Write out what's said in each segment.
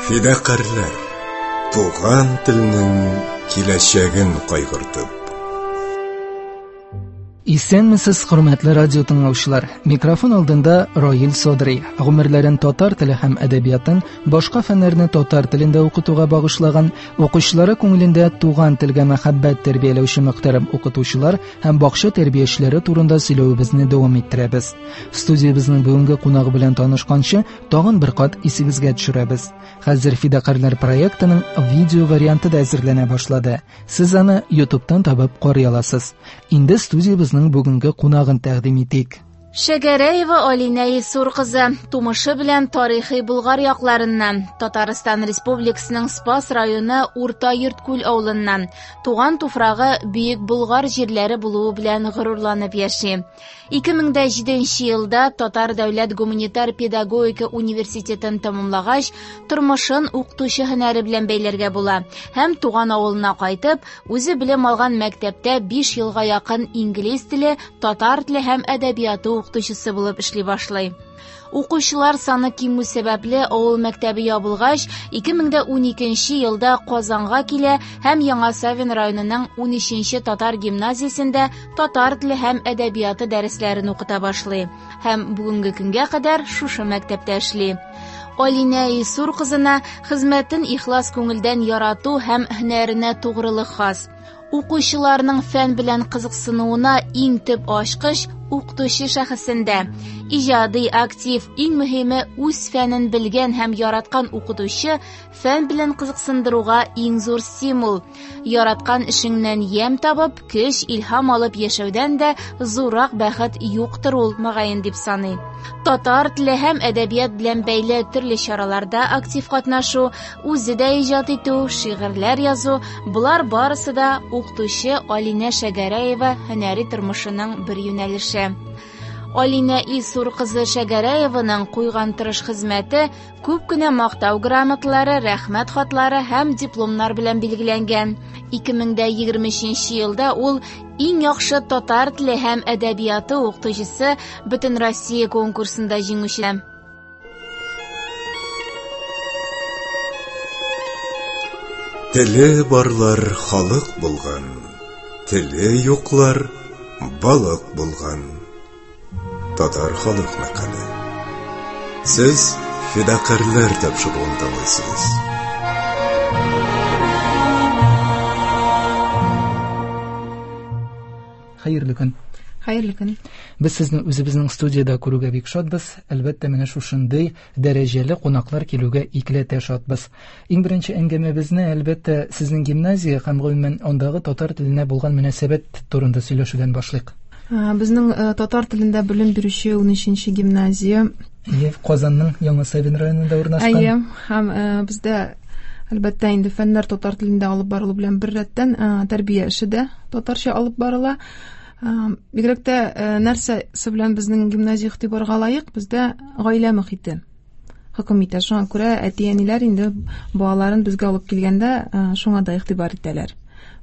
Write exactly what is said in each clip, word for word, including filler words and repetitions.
Фидакарьләр, туган телнең киләчәген кайгыртып. Исәнмесез, хөрмәтле радио тыңлаучылар. Микрофон алдында Раил Садри. Гомерләрен татар теле һәм әдәбиятын, башка фәннәрне татар телендә укытуга багышлаган, укучылары күңелендә туган телгә мәхәббәт тәрбияләүче мөхтәрәм укытучылар һәм бакча тәрбиячеләре турында сөйләвебезне дәвам иттерәбез. Студиябезнең бүгенге кунагы белән танышканчы, тагын бер кат исегезгә төшерәбез. Хәзер Фидакарьләр проектының видео варианты да әзерләнә башлады. Сез аны YouTube'тан табып карый аласыз. Инде студиябезнең бүгенге кунагын тәкъдим итик. Шәгәрәева Алинә Илсур кызы тумышы белән тарихи Болгар якларыннан, Татарстан Республикасының Спас районы Урта Йорткүл авылыннан, туган туфрагы Бөек Болгар җирләре булуы белән горурланып яши. ике мең дә җиденче елда Татар дәүләт гуманитар педагогика университетын тәмамлагач, тормышын укытучы һөнәре белән бәйләргә була һәм туган авылына кайтып, үзе белем алган мәктәптә биш елга якын инглиз теле, татар теле һәм әдәбияты укытучысы булып эшли башлый. Укучылар саны кимү сәбәпле авыл мәктәбе ябылгач, ике мең дә уникенче елда Казанга килә һәм Яңа Савин районының унөченче татар гимназиясендә татар теле һәм әдәбияты дәресләрен укыта башлый һәм бүгенге көнгә кадәр шушы мәктәптә эшли. Алинә Илсур кызына хезмәтен ихлас күңелдән ярату һәм һөнәренә тугрылык хас. Укучыларның фән белән кызыксынуына иң төп ачкыч укытучы шәхесендә. Иҗади, актив, иң мөһиме үз фәнен белгән һәм яраткан укытучы фән белән кызыксындыруга иң зур стимул. Яраткан эшеңнән ямь табып, көч, илһам алып яшәүдән дә зуррак бәхет юктыр ул, мөгаен дип саный. Татар теле һәм әдәбият белән бәйле төрле чараларда актив катнашу, үзе дә иҗат итү, шигырьләр язу, болар барысы да укытучы Алинә Шәгәрәева һөнәри тормышының бер юнәлеше. Алинә Илсур кызы Шәгәрәеваның куйган тырыш хезмәте күп кенә мактау грамоталары, рәхмәт хатлары һәм дипломнар белән билгеләнгән. ике мең дә егерме өченче елда ул иң яхшы татар теле һәм әдәбияты укытучысы Бөтенроссия конкурсында җиңүче. Теле барлар халык булган, теле юклар балык булган. Татар халык мәкале. Сез Фидакарьләр тапшыруын тыңлыйсыз. Хәерле көн. Хәерле көн. Без сезне үзебезнең студиядә күрүгә бик шатбыз. Әлбәттә, менә шушындый дәрәҗәле кунаклар килүгә икеләтә шатбыз. Иң беренче әңгәмәбезне, әлбәттә, сезнең гимназия һәм гомумән андагы татар теленә булган мөнәсәбәт турында сөйләшүдән башлыйк. Ә, безнең, э, татар телендә белем бирүче унөченче гимназия. Әйе, Казанның Яңа Савин районында урнашкан. Әйе, һәм, э, бездә әлбәттә инде фәннәр татар телендә алып барылу белән бер рәттән, э, тәрбия эше дә татарча алып барыла. Э, бигрәк тә, э, нәрсәсе белән безнең гимназия игътибарга лаек, бездә гаилә мохите хөкем итә. Шуңа күрә әти-әниләр инде балаларын безгә алып килгәндә, э, шуңа да игътибар итәләр.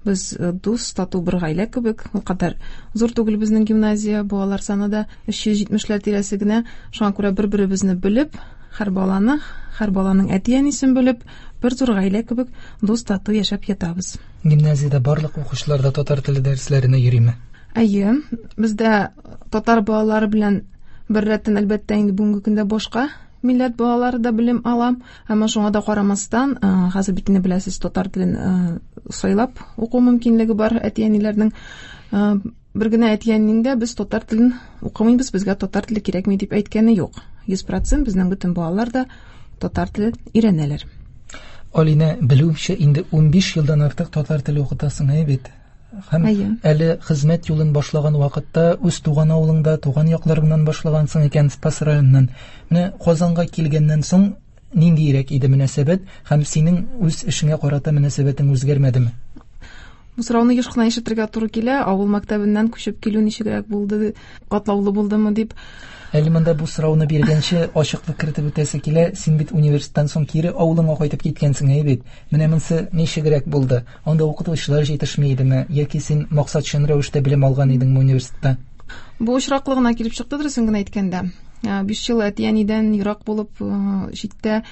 Без, э, дус, тату бер гаилә кебек, ул кадәр зур түгел безнең гимназия, балалар саны да өч йөз җитмешләр тирәсе генә. Шуңа күрә бер-беребезне белеп, һәр баланы, һәр баланың әти-әнисен белеп, бер зур гаилә кебек дус, тату яшәп ятабыз. Гимназиядә барлык укучылар да татар теле дәресләренә йөриме? Әйе, бездә татар балалары белән бер рәттән, әлбәттә, инде бүгенге көндә башка милләт балалары да белем ала. Әмма шуңа да карамастан, э, хәзер бит инде беләсез, татар телен, э, сайлап уку мөмкинлеге бар әти-әниләрнең. Э, бер генә әти-әнинең дә без татар телен укымыйбыз, безгә татар теле кирәкми дип әйткәне юк. Йөз процент безнең бөтен балалар да татар телен өйрәнәләр. Алинә, белүемчә, инде унбиш елдан артык татар теле укытасың, әйе бит? Һәм Әйе. әле хезмәт юлын башлаган вакытта үз туган авылыңда, туган якларыңнан башлагансың икән, Спас районыннан. Менә Казанга килгәннән соң ниндирәк иде мөнәсәбәт һәм синең үз эшеңә карата мөнәсәбәтең үзгәрмәдеме? Бу сорауны еш кына ишетергә туры килә. Авыл мәктәбеннән күчеп килү ничегрәк булды, катлаулы булдымы дип. Әле монда бу сорауны биргәнче ачыклык кертеп үтәсе килә. Син бит университеттан соң кире авылыңа кайтып киткәнсең, әйе бит? Менә монысы ничегрәк булды? Анда укытучылар җитешми идеме? Яки син максатчан рәвештә белем алган идеңме университетта? Бу очраклы гына килеп чыкты, дөресен генә әйткәндә. Ә, биш ел әти-әнидән ерак булып, э, читтә,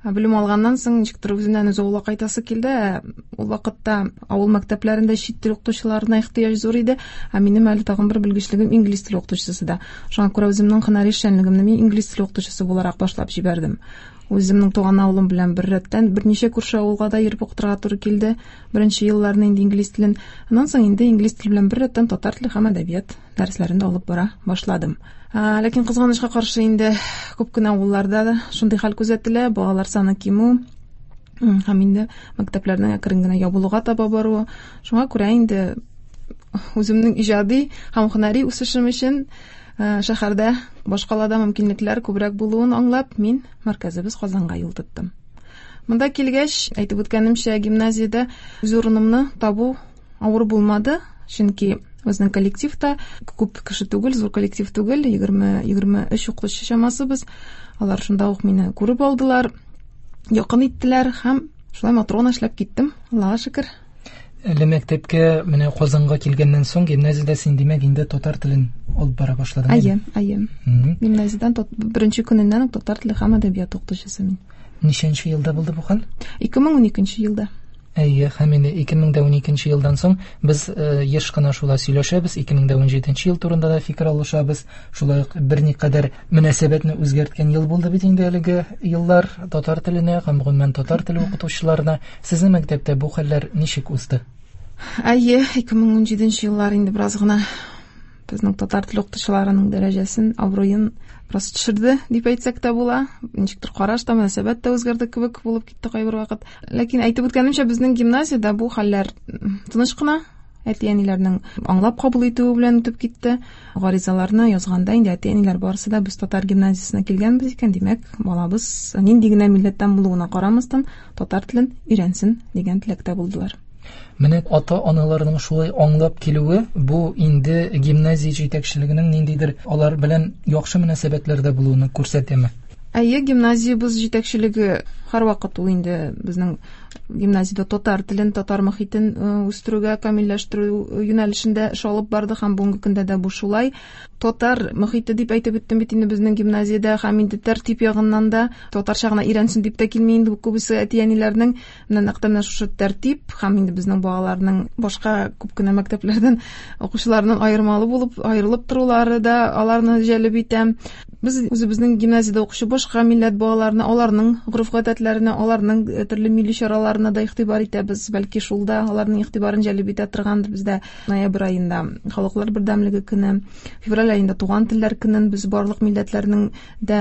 Белем алганнан соң ничектер үзеннән үзе авылга кайтасы килде. Ул вакытта авыл мәктәпләрендә чит тел укытучыларына ихтыяҗ зур иде. Ә минем әле тагын бер белгечлегем инглиз теле укытучысы да. Шуңа күрә үземнең һөнәри эшчәнлегемне мин инглиз теле укытучысы буларак башлап җибәрдем. Үземнең туган авылым белән беррәттән берничә күрше авылга да йөреп укытырга туры килде. Беренче елларны инде инглиз телен, аннан соң инде инглиз теле белән беррәттән татар теле һәм әдәбият дәресләрен дә алып бара башладым. Ләкин кызганычка каршы инде күп кенә авылларда да шундый хәл күзәтелә, балалар саны кимү һәм инде мәктәпләрнең әкрен генә ябылуга таба баруы. Шуңа күрә инде үземнең иҗади һәм һөнәри үсешем өчен шәһәрдә, башкалада мөмкинлекләр күбрәк булуын аңлап, мин мәркәзебез Казанга юл тоттым. Монда килгәч, әйтеп үткәнемчә, гимназиядә үз урынымны табу авыр булмады, чөнки безнең коллективта күп кеше түгел, зур коллектив түгел, егерме, егерме өч укытучы чамасы без. Алар шунда ук мине күреп алдылар, якын иттеләр һәм шулай матур гына эшләп киттем, Аллага шөкер. Әле мәктәпкә менә Казанга килгәннән соң гимназиядә син димәк инде татар телен алып бара башладың. Әйе, әйе. Гимназиядән беренче көненнән үк татар теле һәм әдәбият укытучысы мин. Ничәнче елда булды бу хәл? Ике мең уникенче елда. Әйе, һәм инде ике мең уникенче елдан соң без еш кына шулай сөйләшәбез, ике мең унҗиденче ел турында да фикер алышабыз. Шулай ук берникадәр мөнәсәбәтне үзгәрткән ел булды бит инде әлеге еллар татар теленә һәм гомумән татар теле укытучыларына. Сезнең мәктәптә бу хәлләр ничек узды? Әйе, ике мең унҗиденче еллар инде бераз гына безнең татар теле укытучыларының дәрәҗәсен, абруен бераз төшерде дип әйтсәк тә була. Ничектер караш та, мөнәсәбәт тә үзгәрде кебек булып китте кайбер вакыт. Ләкин әйтеп үткәнемчә, безнең гимназиядә бу хәлләр тыныч кына, әти-әниләрнең аңлап кабул итүе белән үтеп китте. Гаризаларны язганда инде әти-әниләр барысы да без татар гимназиясенә килгәнбез икән, димәк, балабыз нинди генә милләттән булуына карамастан татар телен өйрәнсен дигән теләктә булдылар. Менә ата-аналарның шулай аңлап килүе, бу инде гимназия җитәкчелегенең ниндидер алар белән яхшы мөнәсәбәтләрдә булуын күрсәтәме? Әйе, гимназиябез җитәкчелеге һәрвакыт ул инде безнең гимназиядә татар телен, татар мохитен үстерүгә, камилләштерү юнәлешендә эш алып барды һәм бүгенге көндә дә бу шулай. Татар мохите дип әйтеп үттем бит инде безнең гимназиядә һәм инде тәртип ягыннан да татарча гына өйрәнсен дип тә килми инде күбесе әти-әниләрнең. Менә нәкъ менә шушы тәртип һәм инде безнең балаларның башка күп кенә мәктәпләрдән укучыларның аермалы булып аерылып торулары да аларны җәлеп итә. Без үзебезнең гимназиядә укучы башка милләт балаларына, аларның гореф-гадәтләренә, аларның төрле милли чараларына да игътибар итәбез. Бәлки шул да аларның игътибарын җәлеп итә торгандыр. Бездә ноябрь аенда халыклар бердәмлеге көне, февраль аенда туган телләр көнен без барлык милләтләрнең дә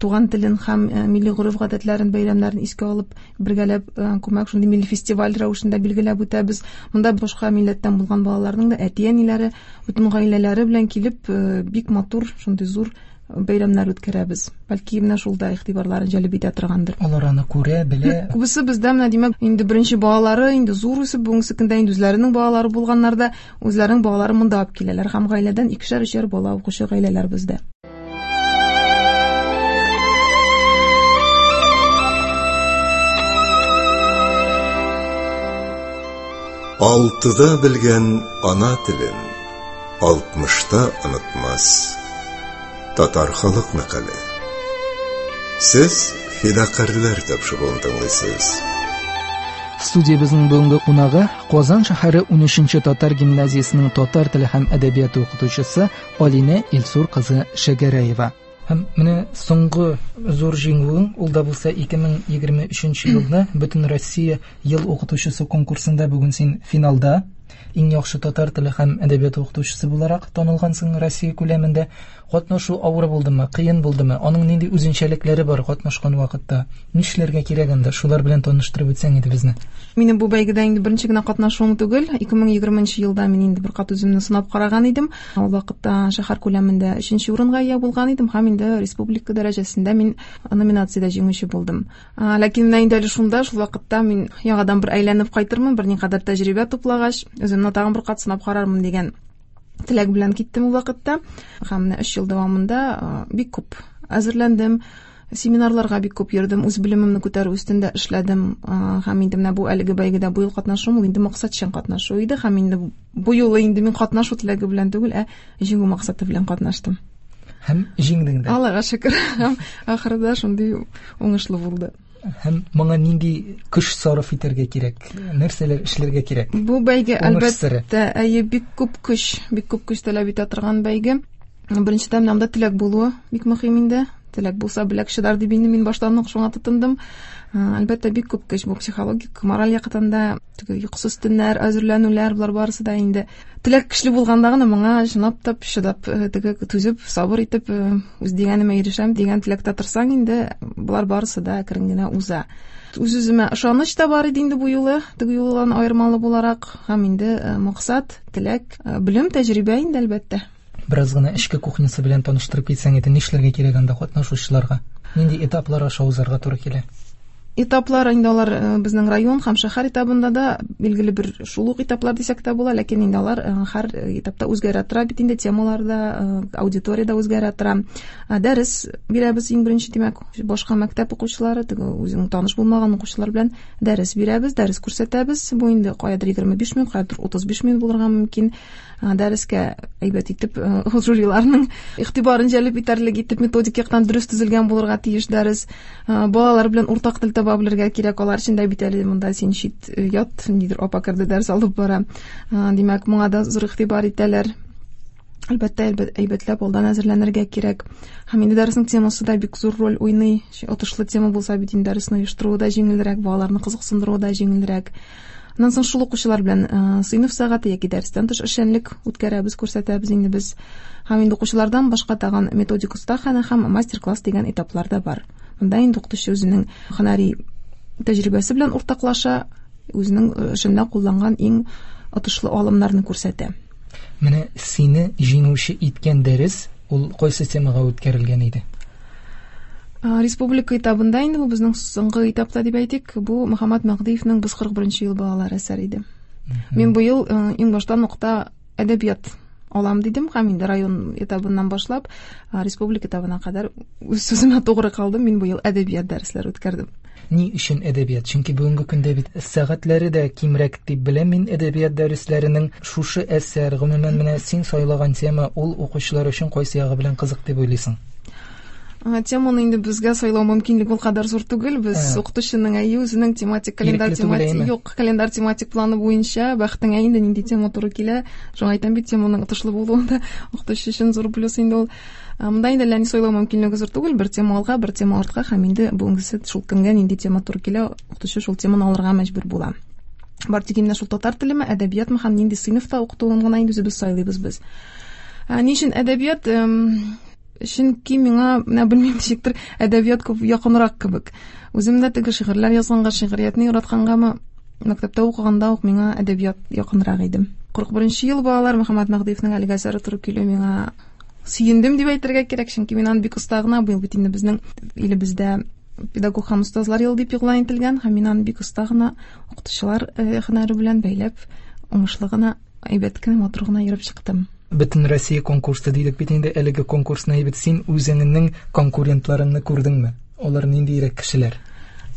туган телен һәм милли гореф-гадәтләрен, бәйрәмнәрен искә алып, бергәләп күмәк шундый милли фестиваль рәвешендә билгеләп үтәбез. Монда башка милләттән булган балаларның да әти-әниләре, бөтен гаиләләре белән килеп, бик матур, шундый зур бәйрәмнәр үткәрәбез. Бәлки менә шул да игътибарларын җәлеп итә торгандыр. Алар аны күрә, белә. Күбесе бездә менә димәк, инде беренче балалары инде зур үсеп, бүгенге көндә инде үзләренең балалары булганнар да үзләренең балаларын монда алып киләләр һәм гаиләдән икешәр-өчәр бала укучы гаиләләр бездә. Алтыда белгән ана телен алтмышта онытмас. Татар халык мәкале. Сез фидакарьләр тапшыруын тыңлыйсыз. Студиябезнең бүгенге кунагы Казан шәһәре унөченче татар гимназиясенең татар теле һәм әдәбияты укытучысы Алинә Илсур кызы Шәгәрәева. Һәм менә соңгы зур җиңүең, ул да булса ике мең егерме өченче елда Бөтен Россия ел укытучысы конкурсында бүген син финалда иң яхшы татар теле һәм әдәбияты укытучысы буларак танылгансың Россия күләмендә. Катнашу авыр булдымы, кыен булдымы? Аның нинди үзенчәлекләре бар катнашкан вакытта? Нишләргә кирәк анда? Шулар белән таныштырып үтсәң иде безне. Минем бу бәйгедә инде беренче генә катнашуым түгел. ике мең егерменче елда мин инде бер кат үземне сынап караган идем. Ул вакытта шәһәр күләмендә өченче урынга ия булган идем һәм инде республика дәрәҗәсендә мин номинациядә җиңүче булдым. Ләкин менә инде әле шунда, шул вакытта мин яңадан бер әйләнеп кайтырмын, берникадәр тәҗрибә туплагач, үземне тагын бер кат сынап карармын дигән теләк белән киттем ул вакытта. Һәм менә өч ел дәвамында бик күп әзерләндем, семинарларга бик күп йөрдем, үз белемемне күтәрү өстендә эшләдем. Һәм инде менә бу әлеге бәйгедә бу ел катнашуым, ул инде максатчан катнашу иде. Һәм инде бу юлы инде мин катнашу теләге белән түгел, ә җиңү максаты белән катнаштым. Һәм җиңдең дә. Аллага шөкер. Һәм ахырда шундый уңышлы булды. Һәм моңа нинди көч сарыф итәргә кирәк? Нәрсәләр эшләргә кирәк? Бу бәйге әлбәттә, әйе, бик күп көч, бик күп көч таләп итә торган бәйге. Беренчедән, менә монда теләк булуы бик мөһим инде. Теләк булса, беләк чыдар дип инде мин баштан ук шуңа тотындым. Әлбәттә, бик күп көч бу психологик, мораль яктан да, теге йокысыз төннәр, әзерләнүләр, болар барысы да инде. Теләк көчле булганда гына моңа чынлап та чыдап, теге түзеп, сабыр итеп, үз дигәнемә ирешәм дигән теләктә торсаң инде, болар барысы да әкрен генә уза. Үз-үземә ышаныч та бар иде инде бу юлы, теге юлдан аермалы буларак, һәм инде максат, теләк, белем, тәҗрибә инде әлбәттә. Бераз гына эчке кухнясы белән таныштырып китсәң иде, нишләргә кирәк анда катнашучыларга? Нинди этаплар аша узарга туры килә? Этаплар инде алар безнең район һәм шәһәр этабында да билгеле бер шул ук этаплар дисәк тә була, ләкин инде алар һәр этапта үзгәрә тора бит инде, темалар да, аудитория да үзгәрә тора. Дәрес бирәбез иң беренче, димәк, башка мәктәп укучылары, теге үзең таныш булмаган укучылар белән дәрес бирәбез, дәрес күрсәтәбез. Бу инде каядыр егерме биш минут, каядыр утыз биш минут булырга мөмкин. Дәрескә әйбәт итеп жюриларның игътибарын җәлеп итәрлек итеп методик яктан дөрес төзелгән булырга тиеш дәрес. Балалар белән уртак тел таба белергә кирәк, алар өчен дә бит әле монда син чит ят, нидер апа керде дәрес алып бара. Димәк, моңа да зур игътибар итәләр. Әлбәттә, әйбәтләп алдан әзерләнергә кирәк. Һәм инде дәреснең темасы да бик зур роль уйный. Отышлы тема булса бит инде дәресне оештыруы да җиңелрәк, балаларны кызыксындыруы да җиңелрәк. Аннан соң шул укучылар белән сыйныф сәгате яки дәрестән тыш эшчәнлек үткәрәбез, күрсәтәбез инде без. Һәм инде укучылардан башка тагын методик остахана һәм мастер-класс дигән этаплар да бар. Монда инде укытучы үзенең һөнәри тәҗрибәсе белән уртаклаша, үзенең эшендә кулланган иң отышлы алымнарны күрсәтә. Менә сине җиңүче иткән дәрес ул кайсы темага үткәрелгән иде? Республика этабында инде бу безнең соңгы этапта дип әйтик, бу Мөхәммәт Мәһдиевнең Без кырык беренче ел балалар әсәре иде. Мин бу ел иң баштан нокта әдәбият алам дидем һәм инде район этабыннан башлап республика этабына кадәр үз сүземә тугры калдым. Мин бу ел әдәбият дәресләре үткәрдем. Ни өчен әдәбият? Чөнки бүгенге көндә бит сәгатьләре дә кимрәк дип беләм мин әдәбият дәресләренең. Шушы әсәр, гомумән менә син сайлаган тема ул укучылар өчен кайсы ягы белән кызык дип уйлыйсың? Теманы инде безгә сайлау мөмкинлеге ул кадәр зур түгел. Без укытучының әйе үзенең тематик календарь тематик юк, календарь тематик планы буенча бәхтеңә инде нинди тема туры килә. Шуңа әйтәм бит, теманың отышлы булуы да укытучы өчен зур плюс инде ул. Монда инде әллә ни сайлау мөмкинлеге зур түгел, бер тема алга, бер тема артка һәм инде бүгенгесе шул көнгә нинди тема туры килә, укытучы шул теманы алырга мәҗбүр була. Бар тик инде шул татар телеме, әдәбиятмы һәм нинди сыйныфта укытуын гына инде үзебез сайлыйбыз без. Ни өчен әдәбият? Чөнки миңа, менә белмим ничектер, әдәбият күп якынрак кебек. Үзем дә теге шигырьләр язганга, шигъриятне яраткангамы, мәктәптә укыганда ук миңа әдәбият якынрак иде. Кырык беренче ел балалар Мөхәммәт Мәһдиевнең әлеге әсәре туры килү миңа сөендем дип әйтергә кирәк, чөнки мин аны бик оста гына, быел бит инде безнең илебездә педагог һәм остазлар елы дип игълан ителгән, һәм мин аны бик оста гына укытучылар һөнәре белән бәйләп, уңышлы гына, әйбәт кенә, матур гына йөреп чыктым. Бөтен Россия конкурсы дидек бит инде, әлеге конкурсны бит син үзеңнең конкурентларыңны күрдеңме? Алар ниндирәк кешеләр?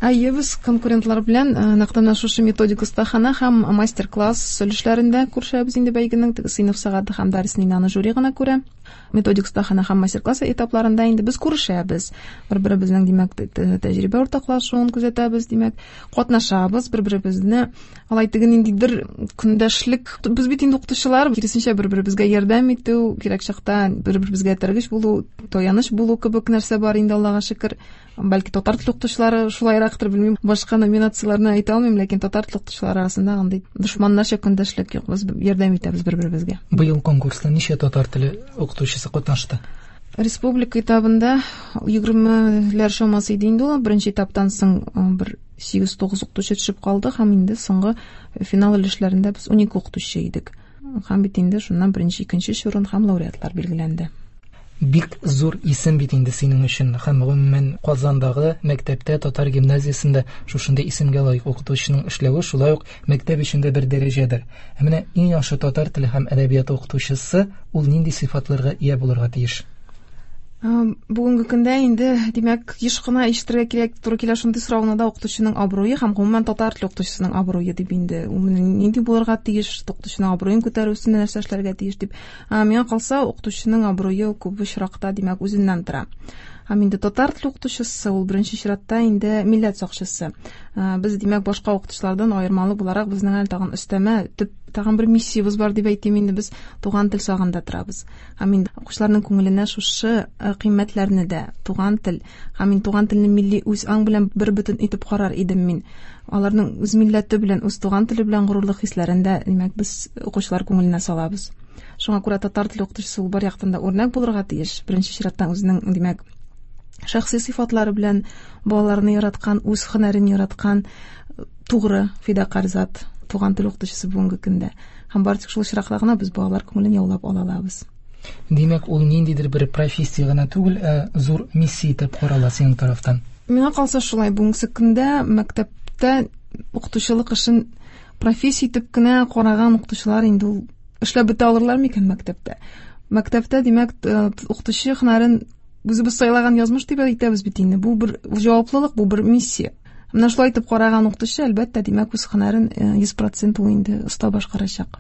Әйе, без конкурентлар белән нәкъ менә шушы методик остахана һәм мастер-класс өлешләрендә күрешәбез инде бәйгенең теге сыйныф сәгате һәм дәресне инде аны жюри гына күрә. Методик остахана һәм мастер-класс этапларында инде без күрешәбез. Бер-беребезнең, димәк, тәҗрибә уртаклашуын күзәтәбез, димәк, катнашабыз, бер-беребезне алай теге ниндидер көндәшлек. Без бит инде укытучылар, киресенчә бер-беребезгә ярдәм итү, кирәк чакта бер-беребезгә этәргеч булу, таяныч булу кебек нәрсә бар инде, Аллага шөкер. Бәлки татар теле укытучылары шулайрактыр, белмим, башка номинацияләрне әйтә алмыйм, ләкин татар теле укытучылары арасында андый дошманнарча көндәшлек юк, без ярдәм итәбез бер-беребезгә. Быел конкурста ничә татар теле укытучысы катнашты? Республика этабында егермеләр чамасы иде инде ул. Беренче этаптан соң бер сигез-тугыз укытучы төшеп калды һәм инде соңгы финал өлешләрендә без унике укытучы идек. Һәм бит инде шуннан беренче, икенче урын һәм лауреатлар билгеләнде. Бик зур исем бит инде синең өчен һәм гомумән Казандагы мәктәптә, татар гимназиясендә шушындый исемгә лаек укытучының эшләве шулай ук мәктәп өчен дә бер дәрәҗәдер. Ә менә иң яхшы татар теле һәм әдәбияты укытучысы ул нинди сыйфатларга ия булырга тиеш? Бүгенге көндә инде, димәк, еш кына ишетергә кирәк туры килә шундый сорауны да, укытучының абруе һәм гомумән татар теле укытучысының абруе дип инде ул нинди булырга тиеш, укытучының абруен күтәрү өстендә нәрсә эшләргә тиеш дип. Миңа калса, укытучының абруе күп очракта, димәк, үзеннән тора. Һәм инде татар теле укытучысы ул беренче чиратта инде милләт сакчысы. Без, димәк, башка укытучылардан аермалы буларак безнең әле тагын өстәмә төп тагын бер миссиябез бар дип әйтим инде, без туган тел сагында торабыз. Һәм инде укучыларның күңеленә шушы кыйммәтләрне дә, туган тел һәм инде туган телне милли үз аң белән бер бөтен итеп карар идем мин. Аларның үз милләте белән, үз туган теле белән горурлык хисләрен дә, димәк, без укучылар күңеленә салабыз. Шуңа күрә татар теле укытучысы ул бар яктан да үрнәк булырга тиеш. Беренче чиратта үзенең, димәк, шәхси сыйфатлары белән балаларны яраткан, үз һөнәрен яраткан, тугры, фидакарь зат туган тел укытучысы бүгенге көндә. Һәм бары тик шул очракта гына без балалар күңелен яулап ала алабыз. Димәк, ул ниндидер бер профессия гына түгел, ә зур миссия итеп карала синең тарафтан. Миңа калса шулай, бүгенге көндә мәктәптә укытучылык эшен профессия итеп кенә караган укытучылар инде ул эшләп бетә алырлар микән мәктәптә? Мәктәптә, димәк, укытучы һөнәрен үзебез сайлаган язмыш дип әйтәбез бит инде. Бу бер җаваплылык, бу бер миссия. Менә шулай итеп караган укытучы, әлбәттә, димәк, үз һөнәрен йөз процент ул инде оста башкарачак.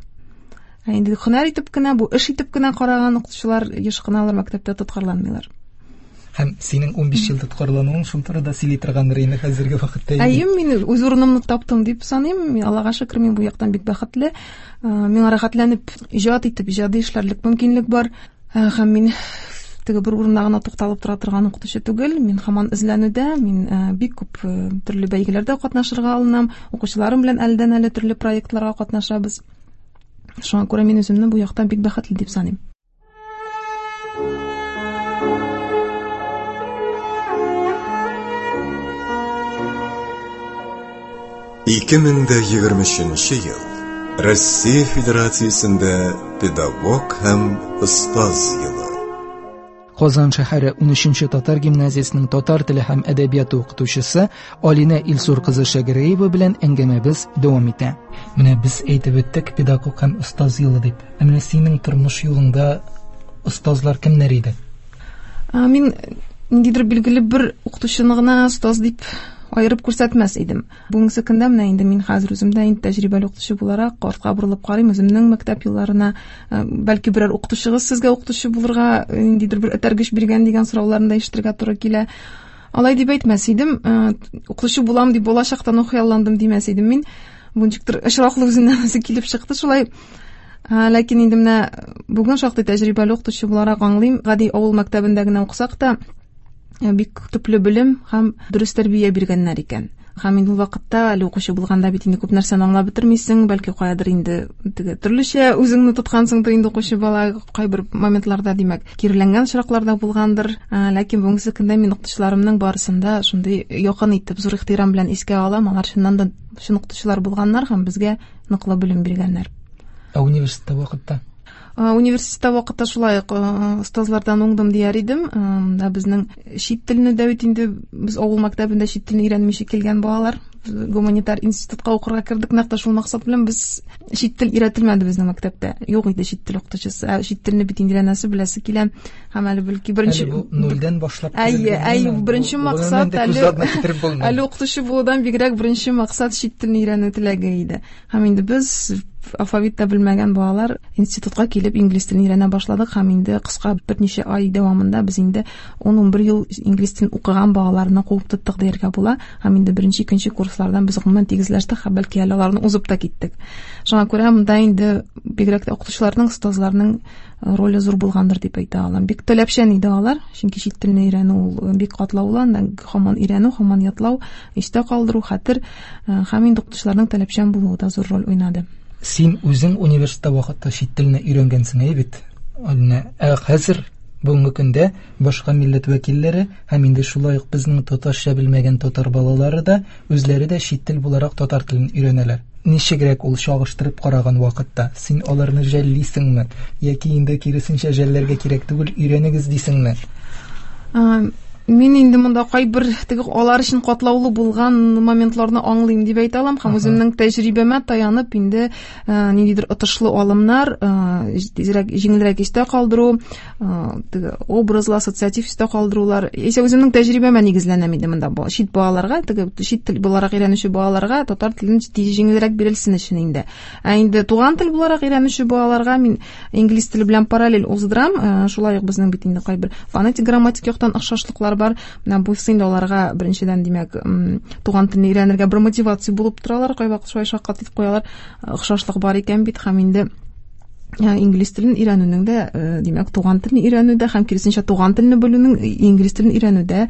Ә инде һөнәр итеп кенә, бу эш итеп кенә караган укытучылар еш кына алар мәктәптә тоткарланмыйлар. Һәм синең ун биш ел тоткарлануың шул турыда сөйли торгандыр инде хәзерге вакытта. Әйе, мин үз урынымны таптым дип саныйм. Аллага шөкер, мин бу яктан бик бәхетле. Миңа рәхәтләнеп иҗат итеп, иҗади эшләрлек мөмкинлек бар. Һәм мин теге бер урында гына тукталып тора торган укытучы түгел. Мин һаман эзләнүдә, мин бик күп төрле бәйгеләрдә катнашырга алынам. Укучыларым белән әледән-әле төрле проектларга катнашабыз. Шуңа күрә мин үземне бу яктан бик бәхетле дип саныйм. ике мең дә егерме өченче ел Россия Федерациясендә педагог һәм остаз елы. Казан шәһәре унөченче татар гимназиясенең татар теле һәм әдәбияты укытучысы Алинә Илсур кызы Шәгәрәева белән әңгәмәбез дәвам итә. Менә без әйтеп үттек педагог һәм остаз елы дип. Ә менә синең тормыш юлыңда остазлар кемнәр иде? Мин ниндидер билгеле бер укытучыны гына остаз дип айырып күрсәтмәс идем. Бүгенге көндә менә инде мин хәзер үземдә инде тәҗрибәле укытучы буларак артка борылып карыйм үземнең мәктәп елларына, бәлки берәр укытучыгыз сезгә укытучы булырга ниндидер бер этәргеч биргән дигән сорауларны да ишетергә туры килә. Алай дип әйтмәс идем, укытучы булам дип балачактан ук хыялландым димәс идем мин. Бу ничектер очраклы үзеннән үзе килеп чыкты шулай. Ләкин инде менә бүген шактый тәҗрибәле укытучы буларак аңлыйм, гади авыл мәктәбендә генә укысак та бик төпле белем һәм дөрес тәрбия биргәннәр икән. Һәм инде ул вакытта әле укучы булганда бит инде күп нәрсәне аңлап бетермисең, бәлки каядыр инде теге төрлечә үзеңне тоткансыңдыр инде укучы бала кайбер моментларда, димәк, киреләнгән очракларда булгандыр. Ләкин бүгенге көндә мин укытучыларымның барысын да шундый якын итеп, зур ихтирам белән искә алам. Алар чыннан да чын укытучылар булганнар һәм безгә ныклы белем биргәннәр. Ә университетта вакытта? Университетта вакытта шулай ук остазлардан уңдым дияр идем. Монда безнең чит телне дә бит инде без авыл мәктәбендә чит телне өйрәнмичә килгән балалар гуманитар институтка укырга кердек. Нәкъ тә шул максат белән без чит тел өйрәтелмәде безнең мәктәптә. Юк иде чит тел укытучысы. Ә чит телне бит инде өйрәнәсе, беләсе килә. Һәм әле бәлки беренче Әле бу нульдән башлап Әйе, әйе, беренче максат әле әле укытучы булудан бигрәк беренче максат чит телне өйрәнү теләге иде. Һәм инде без алфавит та белмәгән балалар институтка килеп инглиз телен өйрәнә башладык һәм инде кыска берничә ай дәвамында без инде ун-унбер ел инглиз телен укыган балаларны куып тоттык дияргә була. Һәм инде беренче, икенче курслардан без гомумән тигезләштек һәм бәлки әле аларны узып та киттек. Шуңа күрә монда инде бигрәк тә укытучыларның, остазларның роле зур булгандыр дип әйтә алам. Бик таләпчән иде алар, чөнки чит телне өйрәнү ул бик катлаулы, аннан һаман өйрәнү, һаман ятлау, истә калдыру, хәтер һәм инде укытучыларның таләпчән булуы да зур роль уйнады. Син үзең университетта вакытта чит телне өйрәнгәнсең, әйе бит? Алинә, ә хәзер бүгенге көндә башка милләт вәкилләре һәм инде шулай ук безнең татарча белмәгән татар балалары да үзләре дә чит тел буларак татар телен өйрәнәләр. Ничегрәк ул чагыштырып караган вакытта син аларны жәллисеңме яки инде киресенчә жәлләргә кирәк түгел, өйрәнегез дисеңме? Мин инде монда кайбер теге алар өчен катлаулы булган моментларны аңлыйм дип әйтә алам һәм үземнең тәҗрибәмә таянып инде ниндидер отышлы алымнар, тизрәк, җиңелрәк истә калдыру, теге образлы, ассоциатив истә калдырулар. Исә үземнең тәҗрибәмә нигезләнәм инде монда. Чит балаларга, теге чит тел буларак өйрәнүче балаларга татар телен тиз җиңелрәк бирелсен өчен инде. Ә инде туган тел буларак өйрәнүче балаларга мин инглиз теле белән параллель уздырам. Шулай ук безнең бит инде кайбер фонетик, грамматик яктан охшашлыклар бар. Менә бу инде аларга беренчедән, димәк, туган телне өйрәнергә бер мотивация булып торалар, кайвакыт шулай шаккатып куялар, охшашлык бар икән бит, һәм инде инглиз телен өйрәнүнең дә, димәк, туган телне өйрәнүдә һәм киресенчә туган телне белүнең инглиз телен өйрәнүдә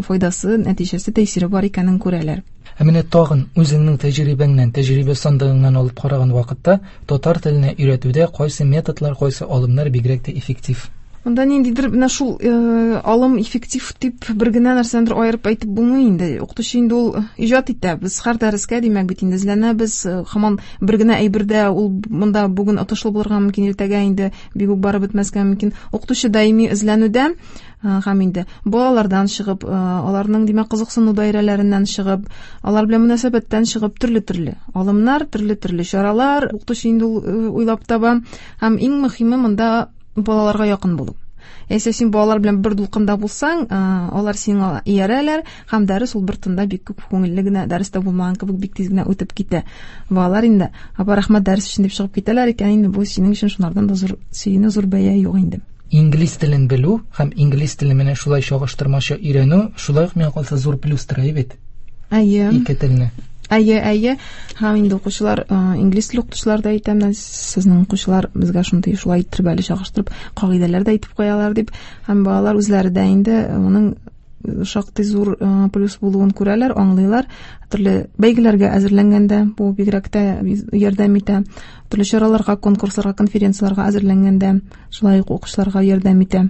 файдасы, нәтиҗәсе, тәэсире бар икәнен күрәләр. Ә менә тагын үзеңнең тәҗрибәңнән, тәҗрибә сандыгыңнан алып караган вакытта татар теленә өйрәтүдә кайсы методлар, кайсы алымнар бигрәк тә эффектив? Монда ниндидер менә шул э, алым эффектив дип бер генә нәрсәндер аерып әйтеп булмый инде. Укытучы инде ул иҗат итә. Без һәр дәрескә, димәк, бит инде эзләнәбез. Һаман бер генә әйбердә ул монда бүген отышлы булырга мөмкин, иртәгә инде бик үк барып бетмәскә мөмкин. Укытучы даими эзләнүдә һәм инде балалардан чыгып, аларның, димәк, кызыксыну даирәләреннән чыгып, алар белән мөнәсәбәттән чыгып төрле-төрле алымнар, төрле-төрле чаралар укытучы инде ул уйлап таба. Һәм иң мөһиме монда балаларга якын булу. Яисә син балалар белән бер дулкында булсаң, алар сиңа иярәләр, һәм дәрес ул бер тында бик күп күңелле генә, дәрестә булмаган кебек бик тиз генә үтеп китә. Балалар инде, апа, рәхмәт дәрес өчен дип чыгып китәләр икән, инде бу синең өчен шунардан да зур сөенү, зур бәя юк инде. Инглиз телен белү һәм инглиз телен менә шулай чагыштырмача өйрәнү, шулай ук миңа калса зур плюс тора бит. Әйе. Ике телне. Әйе, әйе. Һәм инде укучылар, инглиз теле укытучылар да әйтәм, сезнең укучылар безгә шундый шулай иттереп әле чагыштырып кагыйдәләр дә әйтеп куялар дип, һәм балалар үзләре дә инде моның шактый зур плюс булуын күрәләр, аңлыйлар. Төрле бәйгеләргә әзерләнгәндә бу бигрәк тә ярдәм итә. Төрле чараларга, конкурсларга, конференцияләргә әзерләнгәндә шулай ук укучыларга ярдәм итә.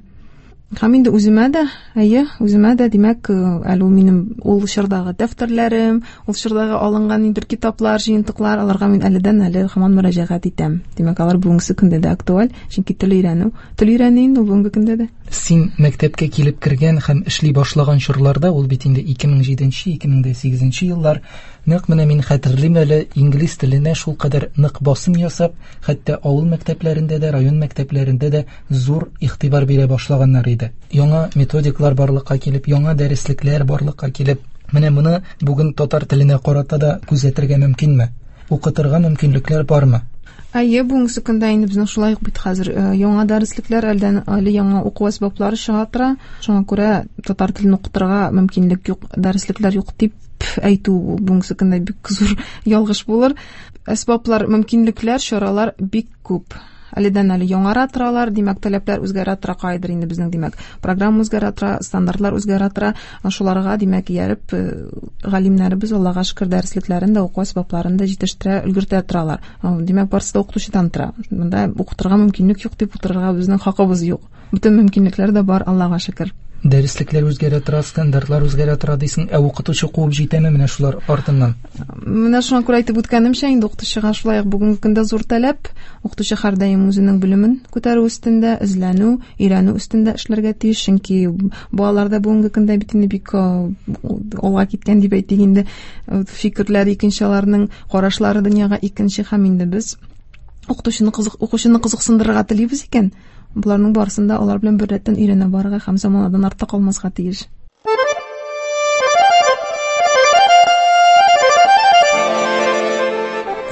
Һәм инде үземә дә, әйе, үземә дә, димәк, әле ул минем ул чордагы дәфтәрләрем, ул чордагы алынган инде китаплар, җыентыклар, аларга мин әледән әле һаман мөрәҗәгать итәм. Димәк, алар бүгенге көндә дә актуаль, чөнки тел өйрәнү, тел өйрәнү инде бүгенге көндә дә. Син мәктәпкә килеп кергән һәм эшли башлаган чорларда, ул бит инде ике мең җиденче, ике мең сигезенче еллар, нәкъ менә мин хәтерлим әле, инглиз теленә шул кадәр нык басым ясап, хәтта авыл мәктәпләрендә дә, район мәктәпләрендә дә зур игътибар бирә башлаганнар иде. Яңа методиклар барлыкка килеп, яңа дәреслекләр барлыкка килеп, менә моны бүген татар теленә карата да күзәтергә мөмкинме? Укытырга мөмкинлекләр бармы? Әйе, бүгенге көндә инде безнең шулай ук бит хәзер яңа дәреслекләр, әлдән әле яңа уку әсбаплары чыга тора. Шуңа күрә татар телен укытырга мөмкинлек юк, дәреслекләр юк дип әйтү бүгенге көндә бик зур ялгыш булыр. Әсбаплар, мөмкинлекләр, чаралар бик күп. Әледән әле яңара торалар, димәк, таләпләр үзгәрә тора, кайдыр инде безнең, димәк, программа үзгәрә тора, стандартлар үзгәрә тора. Шуларга, димәк, ияреп, галимнәребез, Аллага шөкер, дәреслекләрен дә, уку әсбапларын да җитештерә, өлгертә торалар. Димәк, барысы да укытучыдан тора. Монда укытырга мөмкинлек юк дип утырырга безнең хакыбыз юк. Бөтен мөмкинлекләр дә бар, Аллага шөкер. Дәреслекләр үзгәрә тора, стандартлар үзгәрә тора дисең, ә укытучы куып җитәме менә шулар артыннан? Менә шуңа күрә әйтеп үткәнемчә, инде укытучыга шулай ук бүгенге көндә зур таләп. Укытучы һәрдаим үзенең белемен күтәрү өстендә, эзләнү, өйрәнү өстендә эшләргә тиеш, чөнки балалар да бүгенге көндә бит инде бик алга киткән дип әйтик инде, фикерләр икенче, аларның карашлары дөньяга икенче, һәм инде без укытучыны кызык, укучыны кызыксындырырга телибез икән, буларның барысын да алар белән бер рәттән өйрәнә барырга һәм заманадан артта калмаска тиеш.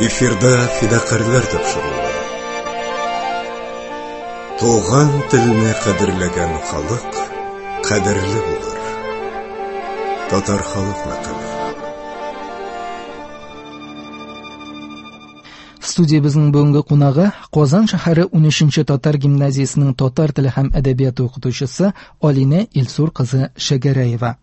Эфирда фидакарьләр тапшыруы. Туган телне кадерләгән халык кадерле булыр. Татар халык мәкале. Студиябезнең бүгенге кунагы Казан шәһәре унөченче татар гимназиясенең татар теле һәм әдәбияты укытучысы Алинә Илсур кызы Шәгәрәева.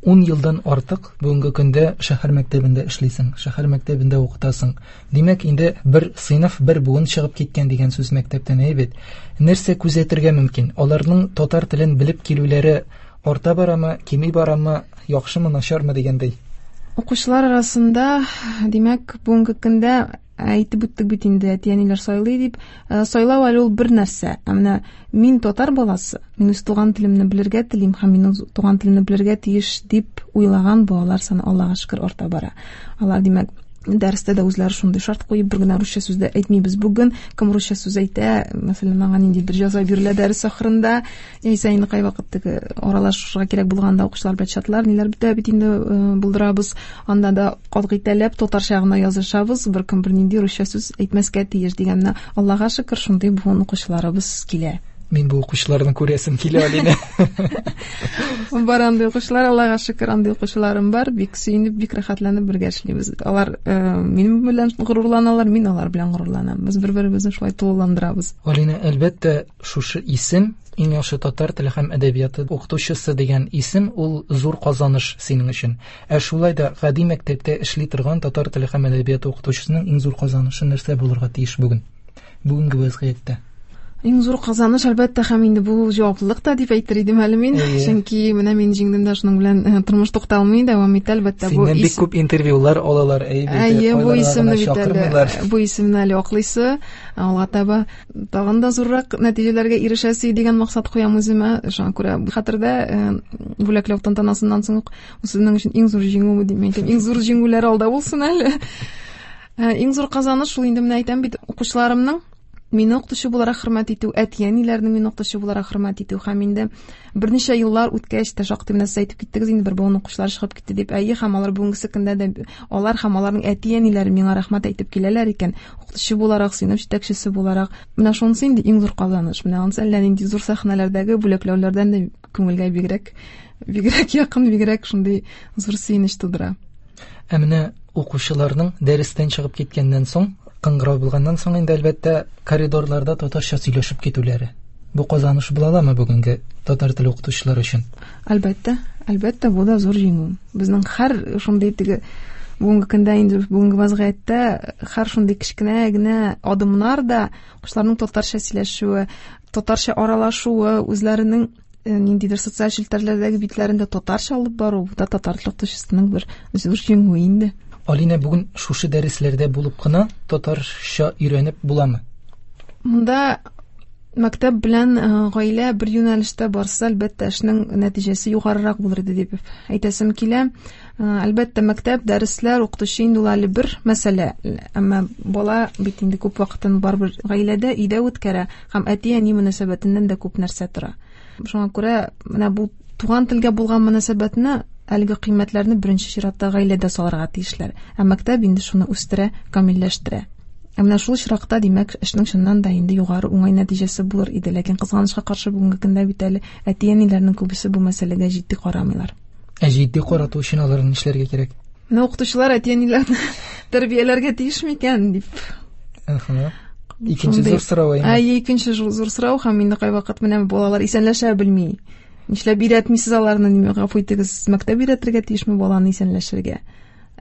Ун елдан артык бүгенге көндә шәһәр мәктәбендә эшлисең, шәһәр мәктәбендә укытасың. Димәк, инде бер сыйныф, бер буын чыгып киткән дигән сүз мәктәптән, әйе бит. Нәрсә күзәтергә мөмкин? Аларның татар телен белеп килүләре арта барамы, кими барамы, яхшымы, начармы дигәндәй? Укучылар арасында, димәк, бүгенге көндә әйтеп үттек бит инде, әти-әниләр сайлый дип. Сайлау әле ул бер нәрсә. Ә менә мин татар баласы, мин үз туган телемне белергә телим һәм мин үз туган телемне белергә тиеш дип уйлаган балалар саны Аллага шөкер арта бара. Алар, димәк, дәрестә дә үзләре шундый шарт куеп, бер генә русча сүз дә әйтмибез бүген. Кем русча сүз әйтә, мәсәлән, аңа ниндидер җәза бирелә дәрес ахырында. Яисә инде кайвакыт теге аралашырга кирәк булганда укучылар белән чатлар, ниләр бетә бит инде булдырабыз. Анда да катгый таләп, татарча гына язышабыз, беркем бернинди русча сүз әйтмәскә тиеш дигәнне. Аллага шөкер, шундый буын укучыларыбыз килә. Мин бу укучыларны күрәсем килә, Алинә. Бар андый укучылар, Аллага шөкер, андый укучыларым бар. Бик сөенеп, бик рәхәтләнеп бергә эшлибез. Алар минем белән горурланалар, мин алар белән горурланам. Без бер-беребезне шулай тулыландырабыз. Алинә, әлбәттә, шушы исем, иң яхшы татар теле һәм әдәбияты укытучысы дигән исем, ул зур казаныш синең өчен. Ә шулай да гади мәктәптә эшли торган татар теле һәм әдәбияты укытучысының иң зур казанышы нәрсә булырга тиеш бүген? Бүгенге вазгыятьтә. Иң зур казаныш, әлбәттә, һәм инде бу җаваплылык та дип әйтер идем әле мин. Чөнки менә мин җиңдем дә, шуның белән тормыш тукталмый, дәвам итә, әлбәттә. Бу синнән бик күп интервьюлар алалар, әйе, бу исемне бит әле, бу исемне әле аклыйсы, алга таба тагын да зуррак нәтиҗәләргә ирешәсе дигән максат куям үземә. Шуңа күрә хәтердә бүләкләү тантанасыннан соң ук сезнең өчен иң зур җиңү дип әйтәм. Иң зур җиңүләр алда булсын әле. Иң зур казаныш шул инде, менә әйтәм бит, укучыларымның мине укытучы буларак хөрмәт итү, әти-әниләрнең мине укытучы буларак хөрмәт итү, һәм инде берничә еллар үткәч тә шактый менә сез әйтеп киттегез инде, бер буын укучылар чыгып китте дип. Әйе, һәм алар бүгенге көндә дә, алар һәм аларның әти-әниләре миңа рәхмәт әйтеп киләләр икән, укытучы буларак, сыйныф җитәкчесе буларак. Менә шунысы инде иң зур казаныш. Менә анысы әллә нинди зур сәхнәләрдәге бүләкләүләрдән дә күңелгә бигрәк, бигрәк якын, бигрәк шундый зур сөенеч тудыра. Ә менә укучыларның дәрестән чыгып киткәннән соң, кыңгырау булганнан соң инде әлбәттә коридорларда татарча сөйләшеп китүләре. Бу казаныш була аламы бүгенге татар теле укытучылары өчен? Әлбәттә, әлбәттә, бу да зур җиңү. Безнең һәр шундый теге бүгенге көндә инде бүгенге вазгыятьтә һәр шундый кечкенә генә адымнар да укучыларның татарча сөйләшүе, татарча аралашуы, үзләренең ниндидер социаль челтәрләрдәге битләрендә татарча алып бару, бу да татар теле укытучысының бер зур җиңүе инде. Алинә, бүген шушы дәресләрдә булып кына татарча өйрәнеп буламы? Монда мәктәп белән гаилә бер юнәлештә барса, әлбәттә, эшнең нәтиҗәсе югарырак булыр иде дип әйтәсем килә. Әлбәттә, мәктәп, дәресләр, укытучы инде ул әле бер мәсьәлә. Әмма бала бит инде күп вакытын барыбер гаиләдә, өйдә үткәрә һәм әти-әни мөнәсәбәтеннән дә күп нәрсә тора. Шуңа күрә менә бу туган телгә булган мөнәсәбәтне, әлеге кыйммәтләрне беренче чиратта гаиләдә салырга тиешләр. Ә мәктәп инде шуны үстерә, камилләштерә. Ә менә шул очракта, димәк, эшнең чыннан да инде югары уңай нәтиҗәсе булыр иде. Ләкин кызганычка каршы бүгенге көндә бит әле әти-әниләрнең күбесе бу мәсьәләгә җитди карамыйлар. Ә җитди карату өчен аларны нишләргә кирәк? Менә укытучылар әти-әниләрне тәрбияләргә тиеш микән дип. Әһә. Икенче зур сорау инде. Әйе, икенче зур сорау, һәм инде кайвакыт менә балалар исәнләшә белми. Нишләп өйрәтмисез аларны, ниме, гафу итегез, мәктәп өйрәтергә тиешме баланы исәнләшергә?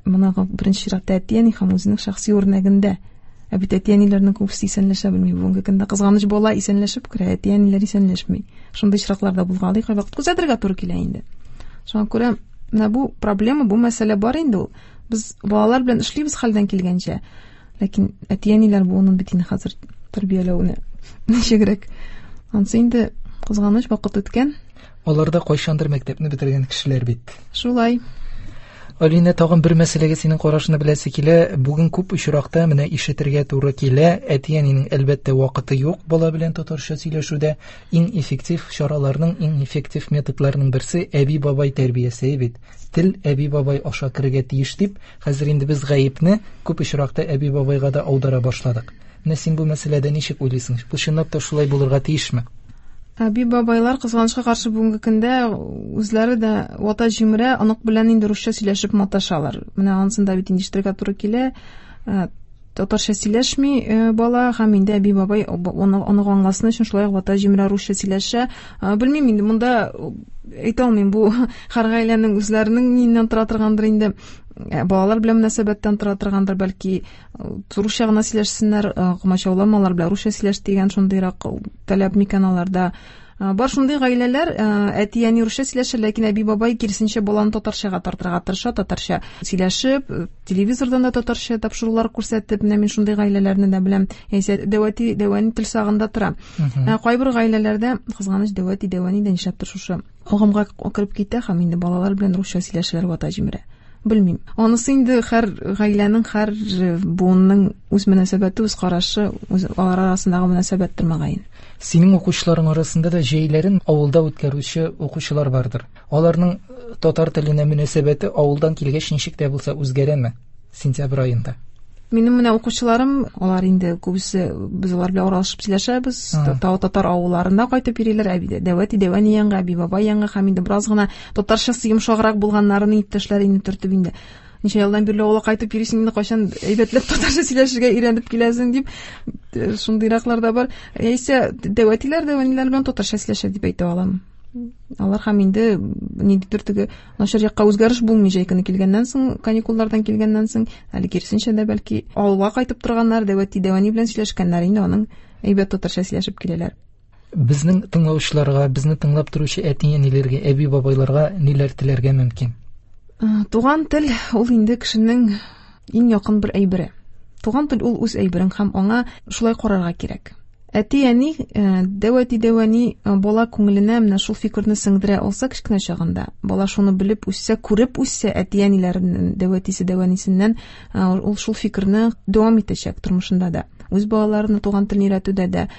Моны беренче чиратта әти-әни һәм үзенең шәхси үрнәгендә. Ә бит әти-әниләрнең күбесе исәнләшә белми. Бүгенге көндә кызганыч, бала исәнләшеп керә, әти-әниләр исәнләшми. Шундый очраклар да булгалый, кайвакыт күзәтергә туры килә инде. Шуңа күрә менә бу проблема, бу мәсьәлә бар инде ул. Без балалар белән эшлибез хәлдән килгәнчә. Ләкин әти-әниләр буынын бит инде хәзер тәрбияләүне ничегрәк. Ансы инде кызганыч, вакыт үткән. Алар да кайчандыр мәктәпне бетергән кешеләр бит. Шулай. Алинә, тагын бер мәсьәләгә синең карашыңны беләсе килә. Бүген күп очракта менә ишетергә туры килә, әти-әнинең әлбәттә вакыты юк бала белән татарча сөйләшүдә. Иң эффектив чараларның, иң эффектив методларның берсе әби-бабай тәрбиясе бит. Тел әби-бабай аша керергә тиеш дип, хәзер инде без гаепне күп очракта әби-бабайга да аудара башладык. Менә син бу мәсьәләдә ничек уйлыйсың? Бу чынлап та шулай булырга тиешме? Әби-бабайлар кызганычка каршы бүгенге көндә үзләре дә вата җимерә, онык белән инде русча сөйләшеп маташалар. Менә анысын да бит инде ишетергә туры килә. Татарча сөйләшми бала, һәм инде әби-бабай оны онык аңласын өчен шулай ук вата җимерә русча сөйләшә. Белмим инде, монда әйтә алмыйм, бу һәр гаиләнең үзләренең ниннән тора торгандыр инде. Балалар белән мөнәсәбәттән тора торгандыр, бәлки русча гына сөйләшсеннәр, комачауламалар белән русча сөйләш дигән шундыйрак таләп микән аларда. Бар шундый гаиләләр, әти-әни русча сөйләшә, ләкин әби-бабай киресенчә баланы татарчага тартырга тырыша, татарча сөйләшеп, телевизордан да татарча тапшырулар күрсәтеп, менә мин шундый гаиләләрне дә беләм. Яисә дәүәти, дәүәни тел сагында тора. Кайбер гаиләләрдә кызганыч дәүәти, дәүәни дә нишләптер шушы агымга кереп китә һәм инде балалар белән русча сөйләшәләр, вата җимерә. Белмим. Анысы инде һәр гаиләнең, һәр буынның үз мөнәсәбәте, үз карашы, үз алар арасындагы мөнәсәбәттер мөгаен. Синең укучыларың арасында да җәйләрен авылда үткәрүче укучылар бардыр. Аларның татар теленә мөнәсәбәте авылдан килгәч ничек тә булса үзгәрәме сентябрь аенда? Минем менә укучыларым, алар инде күбесе без алар белән аралашып сөйләшәбез. Татар авылларында кайтып йөриләр, әби дәвәти дәвәни янга, әби бабай янга һәм инде бераз гына татарчасы йомшаграк булганнарын иптәшләре инде төртеп инде. Ничә елдан бирле авылга кайтып йөрисең инде, кайчан әйбәтләп татарча сөйләшергә өйрәнеп киләсең дип, шундыйраклар да бар. Яисә дәвәтиләр, дәвәниләр белән татарча сөйләшә дип әйтә алам. Алар һәм инде ниндидер теге начар якка үзгәреш булмый җәй көне килгәннән соң, каникуллардан килгәннән соң, әле киресенчә дә бәлки авылга кайтып торганнар, дәвәти дәвәни белән сөйләшкәннәр инде аның әйбәт татарча сөйләшеп киләләр. Безнең тыңлаучыларга, безне тыңлап торучы әти-әниләргә, әби-бабайларга ниләр теләргә мөмкин? Туган тел ул инде кешенең иң якын бер әйбере. Туган тел ул үз әйберең һәм аңа шулай карарга кирәк. Әти-әни, дәвәти дәвәни бала күңеленә менә шул фикерне сеңдерә алса кечкенә чагында, бала шуны белеп үссә, күреп үссә, әти-әниләреннән, дәвәтисе дәвәнисеннән ул шул фикерне дәвам итәчәк тормышында да. Үз балаларына туган телне өйрәтүдә дә.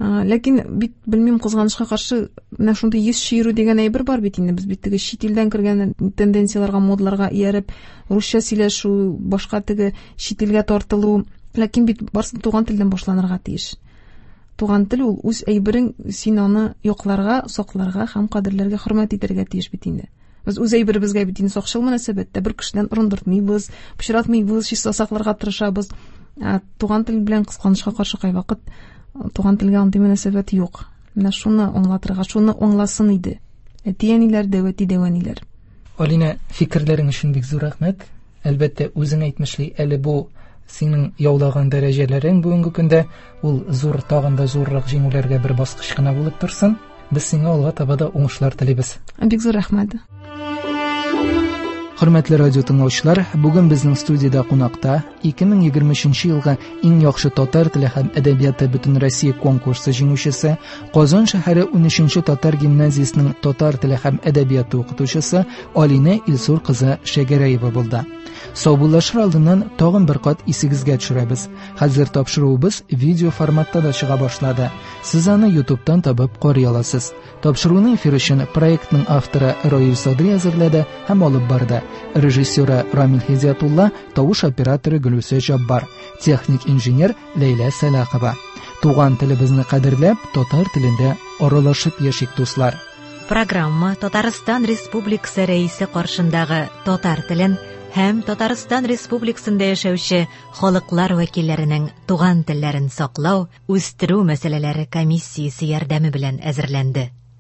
Ләкин бит белмим, кызганычка каршы менә шундый йөз чөерү дигән әйбер бар бит инде. Без бит теге чит илдән кергән тенденцияләргә, модларга ияреп, русча сөйләшү, башка теге чит илгә тартылу. Ләкин бит барысы туган телдән башланырга тиеш. Туган тел ул үз әйберең, син аны якларга, сакларга һәм кадерләргә, хөрмәт итәргә тиеш бит инде. Без үз әйберебезгә бит инде сакчыл мөнәсәбәттә, бер кешедән орындыртмыйбыз, пычратмыйбыз, чиста сакларга тырышабыз. Ә туган тел белән кызганычка каршы кайвакыт туган телгә андый мөнәсәбәт юк. Менә шуны аңлатырга, шуны аңласын иде әти-әниләр, дәвәти дәвәниләр. Алина, фикерләрең өчен бик зур рәхмәт. Әлбәттә, үзең әйтмешли, әле бу синең яулаган дәрәҗәләрең бүгенге көндә ул зур, тагын да зуррак җиңүләргә бер баскыч кына булып торсын. Без сиңа алга таба да уңышлар телибез. Бик зур рәхмәт. Хөрмәтле радио тыңлаучылар, бүген безнең студиядә кунакта ике мең егерме өченче елгы иң яхшы татар теле һәм әдәбияты Бөтенроссия конкурсы җиңүчесе, Казан шәһәре унөченче татар гимназиясенең татар теле һәм әдәбияты укытучысы Алинә Илсур кызы Шәгәрәева булды. Саубуллашыр алдыннан тагын бер кат исегезгә төшерәбез. Хәзер тапшыруыбыз видео форматта да чыга башлады. Сез аны YouTube'тан табып карый аласыз. Тапшыруны эфир өчен проектның авторы Раил Садри әзерләде һәм алып барды. Режиссеры Рамил Хидиятулла, тавыш операторы Гөлүсә Җаббар, техник инженер Ләйлә Сәлахова. Туган телебезне кадерләп, татар телендә аралашып яшик, дуслар. Программа Татарстан Республикасы Рәисе каршындагы татар телен һәм Татарстан Республикасында яшәүче халыклар вәкилләренең туган телләрен саклау, үстерү мәсьәләләре комиссиясе ярдәме белән әзерләнде.